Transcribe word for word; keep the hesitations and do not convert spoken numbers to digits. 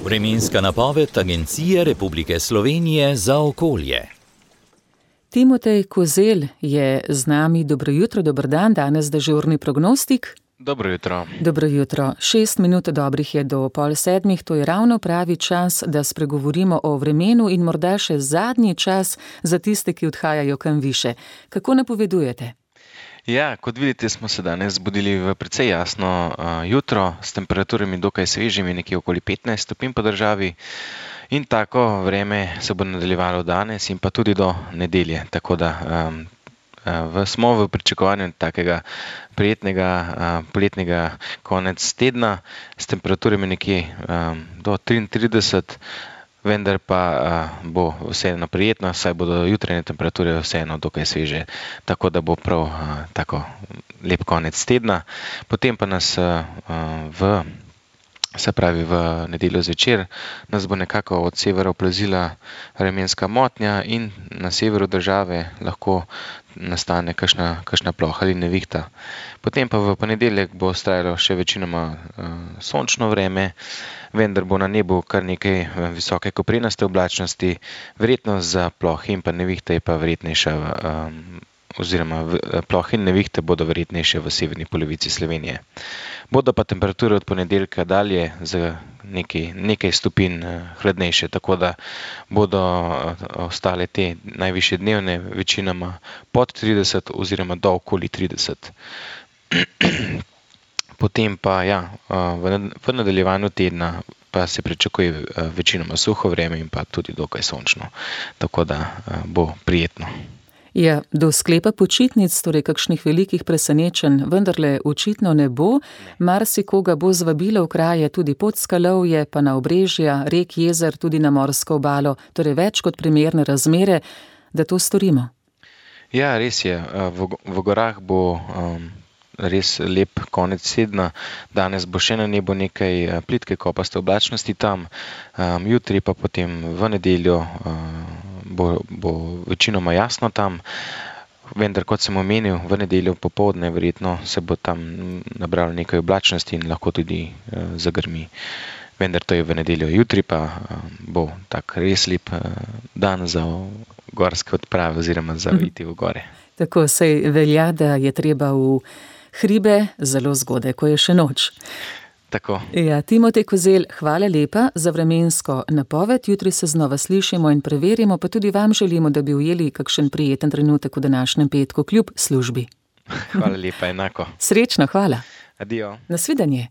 Vremenska napoved Agencije Republike Slovenije za okolje. Timotej Kozelj je z nami. Dobro jutro, dober dan, danes dežurni prognostik. Dobro jutro. Dobro jutro. Šest minut dobrih je do pol sedmih, to je ravno pravi čas, da spregovorimo o vremenu in morda še zadnji čas za tiste, ki odhajajo kam više. Kako napovedujete? Ja, kot vidite, smo se danes zbudili v precej jasno uh, jutro s temperaturami dokaj svežimi, nekje okoli petnajst stopinj po državi. In tako vreme se bo nadaljevalo danes in pa tudi do nedelje. Tako da um, v, smo v pričakovanju takega prijetnega uh, poletnega konec tedna s temperaturami nekje um, do triintrideset, vendar pa uh, bo vseeno prijetno, saj bodo jutranje temperature vseeno dokaj sveže, tako da bo prav uh, tako lep konec tedna. Potem pa nas uh, v Se pravi, v nedeljo zvečer nas bo nekako od severa oplazila vremenska motnja in na severu države lahko nastane kakšna, kakšna ploha ali nevihta. Potem pa v ponedeljek bo trajalo še večinoma uh, sončno vreme, vendar bo na nebu kar nekaj visoke koprenaste oblačnosti, verjetnost za plohe in pa nevihte je pa verjetnejša um, oziroma plohe in nevihte bodo verjetnejše v severni polovici Slovenije. Bodo pa temperature od ponedeljka dalje za nekaj, nekaj stopinj hladnejše, tako da bodo ostale te najvišje dnevne večinoma pod trideset oziroma do okoli trideset. Potem pa ja, v nadaljevanju tedna pa se pričakuje večinoma suho vreme in pa tudi dokaj sončno, tako da bo prijetno. Ja, do sklepa počitnic, torej kakšnih velikih presenečenj, vendarle očitno ne bo. Marsikoga bo zvabilo v kraje tudi Podskalovje, pa na obrežja, rek, jezer, tudi na morsko obalo, torej več kot primerne razmere, da to storimo. Ja, res je. V, v gorah bo um, res lep konec tedna. Danes bo še na nebu nekaj plitke kopaste oblačnosti tam, um, jutri pa potem v nedeljo um, Bo, bo večinoma jasno tam, vendar kot sem omenil, v nedeljo popoldne verjetno se bo tam nabralo nekaj oblačnosti in lahko tudi uh, zagrmi. Vendar to je v nedeljo, jutri pa uh, bo tak res lep uh, dan za gorske odprave oziroma za iti v gore. Tako se velja, da je treba v hribe zelo zgodaj, ko je še noč. Tako. Ja, Timotej Kozelj, hvala lepa za vremensko napoved. Jutri se znova slišimo in preverimo, pa tudi vam želimo, da bi ujeli kakšen prijeten trenutek v današnjem petku kljub službi. Hvala lepa, enako. Srečno, hvala. Adijo. Nasvidenje.